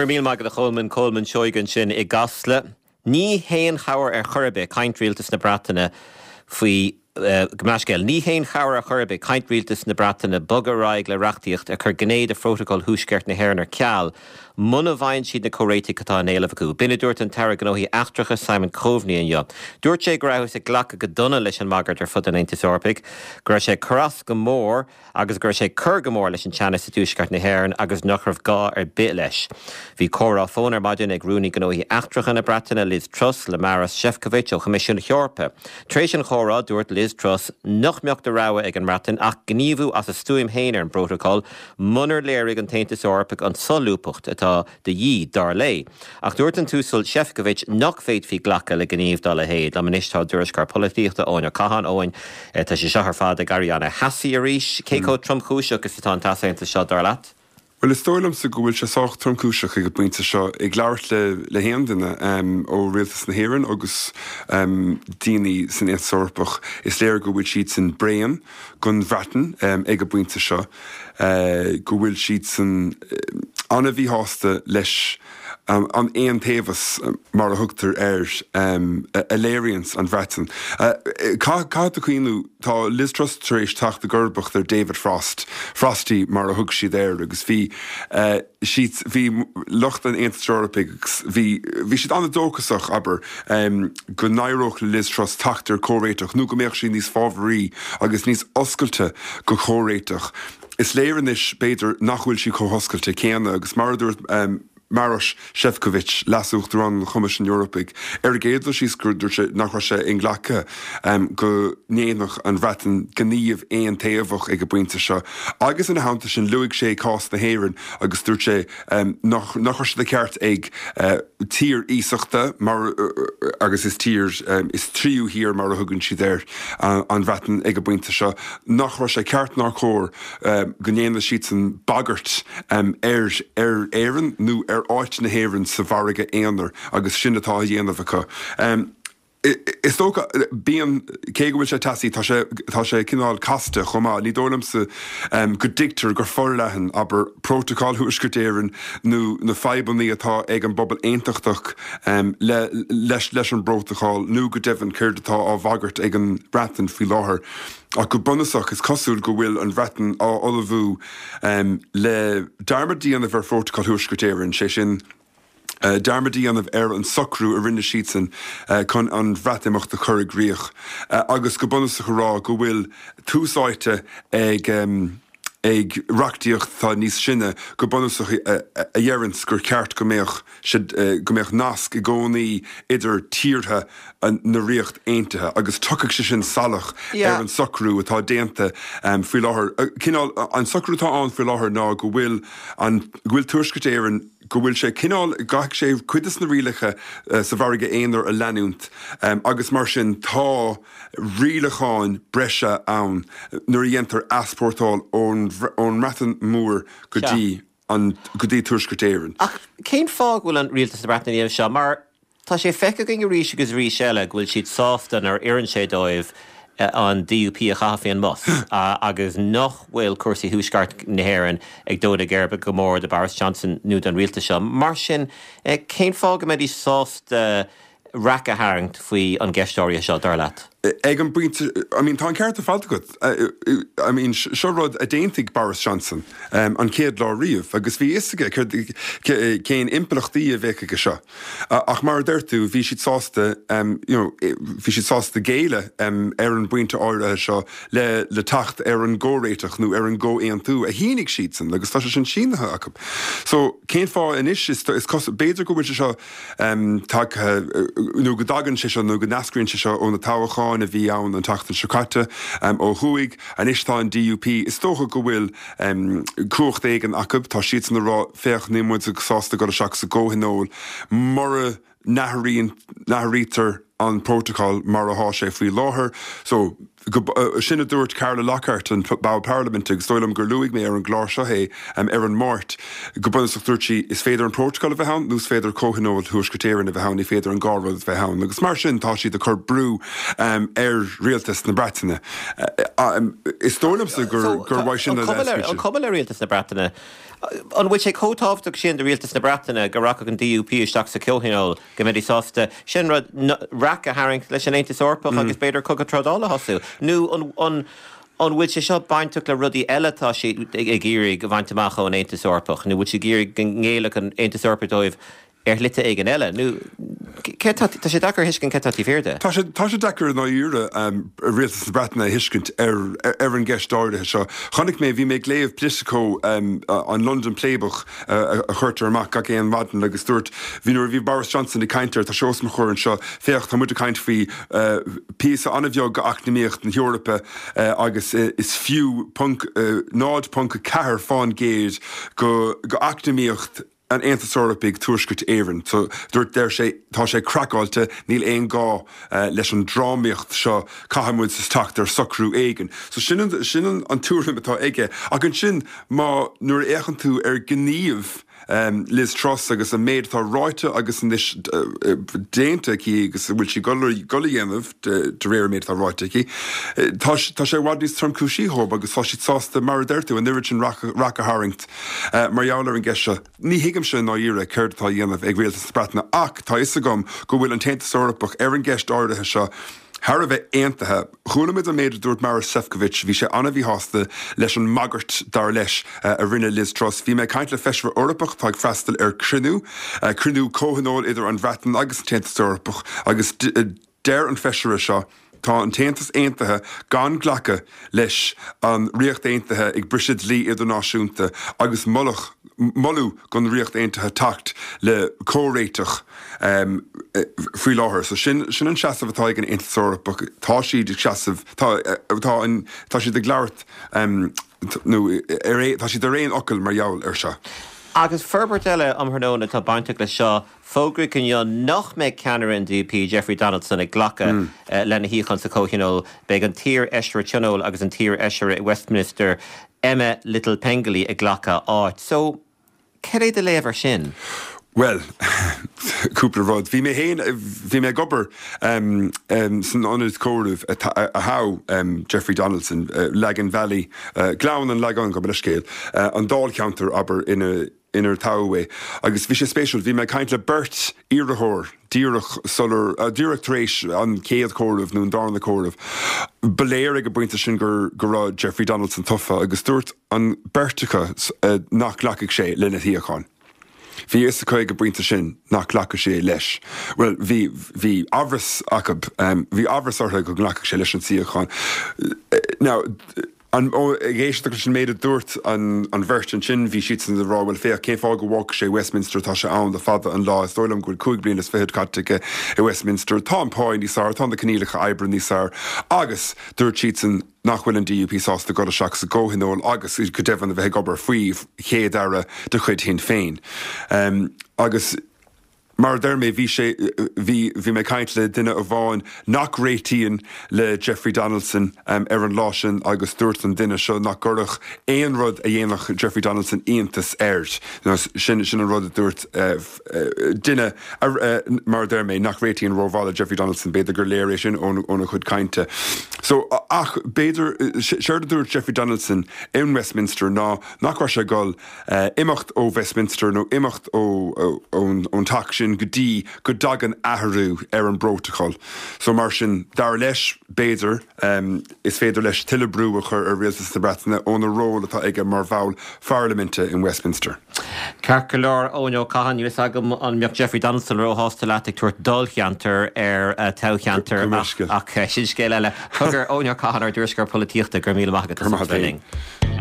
Go raibh míle maith agat a Cholmáin, Colmán Seoighe ansin i gCasla. Ní haon chabhair ar chor ar bith caint Rialtas na Breataine faoi, Gabh mo leithscéal, ní haon chabhair ar chor ar bith caint Rialtas na Breataine bogadh ar aghaidh le reachtaíocht ag cur gné de Phrótacal Thuaisceart na hÉireann ar ceal muna bhfaigheann siad na comhréitigh atá in éileamh acu. B'in a dúirt an tAire Gnóthaí Eachtracha Simon Coveney inniu. Dúirt sé go rabhthas ag glacadh go dona leis an mbagairt ar fud an Aontais Eorpaigh, go raibh sé ag cur as go mór agus go raibh sé ag cur go mór leis an teannas i dtuaisceart na hÉireann agus nach raibh gá ar bith leis. Bhí comhrá fóin ar maidin ag Rúnaí Gnóthaí Eachtracha na Breataine, Liz Truss, le Maros Sefcovic ó Choimisiún na hEorpa. Tar éis an chomhrá, dúirt Liz Truss nach mbeadh de rogha ag an mBreatain ach gníomhú as a stuaim féin ar an bprótacal munar léirigh an tAontas Eorpach an tsolúbthacht atá de dhíth, dar léi. Ach dúirt an tUasal Sefcovic nach bhféadfaí glacadh le gníomh dá leithéid. Liom anois tá ár dtuairisceoir polaitíochta, Eoin Ó Catháin. Eoin, tá sé seo ar fad ag éirí ana-theasaí arís. Cé chomh tromchúiseach is atá an t-easaontas seo, dar leat? Bhuel, is dóigh liomsa go bhfuil sé sách tromchúiseach ag an bpointe seo. Ag labhairt le le haon duine ó Rialtas na hÉireann agus daoine san Aontas Eorpach, is léir go bhfuil siadsan bréan den Bhreatain ag an bpointe seo. go bhfuil siadsan an-mhíshásta leis an aontaobhas, mar a thugtar air, a léiríonns an Bhreatain. Caithfidh tú cuimhniú, tá Liz Truss tar éis teacht i gcomharbacht ar David Frost, Frosty mar a thug siad air, agus bhí siad, bhí lucht an Aontais Eorpaigh agus bhí, bhí siad an-dóchasach, abair, go n-éireodh le Liz Truss teacht ar chomhréiteach nó go mbeadh sí níos fábharaí agus níos oscailte go chomhréiteach. Is léir anois, b'fhéidir, nach bhfuil sí chomh hoscailte céanna agus mar a dúirt Maroš Šefčovič, Leas-Uachtarán an Choimisiúin Eorpaigh, ar an gcéad dul síos gur dúirt sé nach raibh sé inghlactha go ndéanfadh an Bhreatain gníomh aontaobhach ag an bpointe seo agus ina theannta sin luaigh sé cás na hÉireann agus dúirt sé nach raibh sé de cheart ag tír iasachta mar agus is tír, is tríú thír mar a thugann siad air, an Bhreatain ag an bpointe seo, nach raibh sé ceart ná cóir go ndéanfadh siadsan bagairt ar ar Éirinn nó ar áit na hÉireann sa mhargadh aonair agus sin atá á dhéanamh acu. Is dócha, bíonn, cé go bhfuil sé teasaí, tá sé, tá sé cineál casta chomh maith. Ní dóigh liomsa go dtuigtear go forleathan, abair, Prótacal Thuaisceart Éireann nó na fadhbannaí atá ag an bpobal aontachtach le, leis, leis an bprótacal nó go deimhin céard atá á bhagairt ag an Bhreatain faoi láthair. Ach go bunúsach, is cosúil go bhfuil an Bhreatain á ullmhú le dearmad a dhéanamh ar Phrótacal Thuaisceart Éireann, sé sin, dearmad a dhéanamh ar an socrú a rinne siadsan chun an Bhreatimeacht a chur i gcrích agus go bunúsach a rá go bhfuil tús áite ag ag reachtaíocht atá níos sine, go bunúsach a dheireanns gur cheart go mbeadh go mbeadh nasc i gcónaí idir tíortha na Ríocht Aontaithe agus tiocfaidh sé sin salach ar an socrú atá déanta faoi láthair. Cineál, an socrú atá ann faoi láthair ná go bhfuil an, go bhfuil Tuaisceart Éireann, go bhfuil sé cineál, gcaithfidh sé cuid des na rialacha sa mhargadh aonair a leanúint agus mar sin tá rialacháin breise ann nuair a dhéantar easpórtáil ón mBreatain Mhór go dtí an, go dtí Tuaisceart Éireann. Ach cén fáth go bhfuil an Rialtas na Breataine ag déanamh seo? Mar Tá sé feicthe againn arís agus arís eile go bhfuil siad sásta nuair a oireann sé dóibh an DUP a chaitheamh faoin mbus agus nach bhfuil cúrsaí Thuaisceart na hÉireann ag dó na geirbe go mór do Boris Johnson nó don rialtas seo. Mar sin, cén fáth go mbeidís sásta raic a tharraingt faoi an gceist áirithe seo, dar leat? Ag an bpointe, I mean, tá an ceart ar fad agat. I mean, seo rud a d'aontaigh Boris Johnson an chéad lá riamh agus bhí a fhios aige céard, cén impleachtaí a bheadh aige seo. Ach mar a deir tú, bhí siad sásta, you know, bhí siad sásta géilleadh ar an bpointe áirithe seo le le teacht ar an gcomhréiteach nó ar an gcomhaontú a shínigh siadsan agus tá sé sin sínithe acu. So, cén fáth anois, is, is cosúil, b'fhéidir go bhfuil sé seo, tagtha, nó go dtagann sé seo, nó go n-eascraíonn sé seo ó na toghcháin a bhí ann an tseachtain seo caite ó thuaidh. Anois tá an DUP, is dócha go bhfuil cumhacht éigin acu, tá siadsan ag rá, féach, níl muid sásta dul isteach sa gcomhthionól mura n-athraíonn, n-athraítear an prótacal mar atá sé faoi láthair. So, go, sin a dúirt Carla Lockhart, an ball parlaiminte, agus is dóigh liom gur luaigh mé ar an gclár seo é ar an Máirt, go bunúsach dúirt sí, is féidir an prótacal a bheith ann nó is féidir Comhthionól Thuaisceart Éireann a bheith ann, ní féidir an dhá rud a bheith ann. Agus mar sin tá siad ag cur brú ar rialtas na Breataine. Is dóigh liomsa gur, gur uaidh sin a An cuma le rialtas na Breataine? An bhfuil sé chomh tábhachtach sin do rialtas na Breataine go rachadh an DUP isteach sa Chomhthionól, go mbeidís sásta sin rud, raic a tharraingt leis an Aontas Eorpach agus b'fhéidir cogadh trádála a thosú? Nó an an bhfuil sé seo bainteach le rudaí eile atá siad ag iarraidh a bhaint amach ón Aontas Eorpach? Nó bhfuil siad ag iarraidh go ngéillfeadh an Aontas Eorpach dóibh ar shlite éigin eile? Nó cé tá, tá sé deacair a thuiscint cé tá taobh thiar de. Tá sé, tá sé deacair i ndáiríre rialtas na Breataine a thuiscint ar, ar an gceist áirithe seo. Chonaic mé, bhí mé ag léamh Politico, an London Playbook a chuirtear amach gach aon mhaidin agus dúirt, bhí, nuair a bhí Boris Johnson ag caint air, tá sé os mo chomhair anseo, féach, tá muid ag caint faoi píosa an-bheag d'eacnamaíocht na hEorpa agus is fiú ponc, 0.4 fán gcéad go, go eacnamaíocht an Aontais Eorpaigh Tuaisceart Éireann. So, dúirt, deir sé, tá sé craiceáilte, níl aon gá leis an drámaíocht seo, caithfidh muid teacht ar socrú éigin. So sin an, sin an tuairim atá aige. Ach ansin, má, nuair a fhéachann tú ar ghníomh Liz Truss agus an méid atá ráite agus anois déanta aici agus a bhfuil sí ag dul a dhéanamh de réir an méid atá ráite aici, tá, tá sé i bhfad níos tromchúisí dhóibh agus tá siad sásta, mar a deir tú, an oiread sin raic a tharraingt. Mar gheall ar an gceist seo, ní thuigimse i ndáiríre céard atá á dhéanamh ag Rialtas na Breataine ach tá fhios agam go bhfuil an tAontas Eorpach ar an gceist áirithe seo thar a bheith aontaithe. Chuala muid an méid a dúirt Maroš Šefčovič, bhí sé an-mhíshásta leis an mbagairt, dar leis, a rinne Liz Truss. Bhí mé ag caint le feisire Eorpach atá ag freastal ar chruinniú, cruinniú comhthionóil idir an Bhreatain agus an tAontas Eorpach agus deir an feisire seo, Tá an tAontas aontaithe gan glacadh leis an Ríocht Aontaithe ag briseadh dlí idirnáisiúnta agus moladh moladh don Ríocht Aontaithe teacht le comhréiteach faoi láthair. So sin sin an seasamh atá ag an Aontas Eorpach. Tá siad ag seasamh tá tá an tá siad ag labhairt nó ar tá siad ar aon fhocal mar gheall air seo. Agus forbairt eile um thráthnóna atá bainteach leis seo, Fógraíodh inniu nach mbeidh ceannaire an DUP, Jeffrey Donaldson, ag glacadh lena shuíochán sa Chomhthionól. Beidh an t-iar-fheisire Tionóil agus an t-iar-fheisire i Westminster, Emma Little-Pengelly, ag glacadh a áit. So, cad é do léamh ar sin? Bhuel, cúpla rud. Bhí mé féin, bhí mé ag obair san ionad comhairimh a thogh Jeffrey Donaldson, Lagan Valley, Gleann an Lagáin, gabh mo leithscéal, an dáilcheantar, abair, ina, inar toghadh é. Agus bhí sé spéisiúil, bhí mé ag caint le beirt iarrthóir díreach sular, díreach tar éis an chéad chomhaireamh nó an darna comhaireamh. Ba léir ag an bpointe sin gur, go raibh Jeffrey Donaldson tofa agus dúirt an beirt acu nach nglacfadh sé lena shuíochán. Bhí a fhios acu ag an bpointe sin nach nglacfadh sé leis. Bhuel, bhí, bhí amhras acu, bhí amhras orthu go nglacfadh sé leis an suíochán. Now, An, ag éisteacht leis an méid a dúirt an bheirt ansin, bhí siadsan ag rá, bhuel féach, cén fáth go bhfágfadh sé Westminster, tá sé ann le fada an lá, is dóigh liom go bhfuil 25 bliain caite aige i Westminster, tá an pá níos fearr, tá na coinníollacha oibre níos fearr agus dúirt siadsan nach bhfuil an DUP sásta dul isteach sa gcomhthionól agus go deimhin a bheith ag obair faoi Chéad-Aire de chuid Shinn Féin. Agus. Mar a deir mé, bhí sé, bhí, bhí mé ag caint le duine amháin nach réitíonn le Jeffrey Donaldson ar an lá sin agus dúirt an duine seo nach gcuirfeadh aon rud a dhéanfadh Jeffrey Donaldson iontas air. Sin, sin an rud a dúirt duine, mar a deir mé, nach réitíonn rómhaith le Jeffrey Donaldson, b'fhéidir gur léir é sin óna chuid cainte. So, ach b'fhéidir, séard a dúirt Jeffrey Donaldson in Westminster ná nach raibh sé ag dul, imeacht ó Westminster nó imeacht ón teach sin go dtí go dtagann athrú ar an bprótacal. So mar sin, dar leis, b'fhéidir, is féidir leis tuilleadh brú a chur ar Rialtas na Breataine óna ról atá aige mar bhall pharlaiminte in Westminster. Ceart go leor, Eoin Ó Catháin, níl a fhios agam an mbeadh Jeffrey Donaldson róshásta leat ag tabhairt dáilcheantar ar toghcheantar ach sin scéal eile. Cogar, Eoin Ó Catháin, ár dtuairisceoir polaitíochta, go raibh míle maith agat as ucht a bheith linn.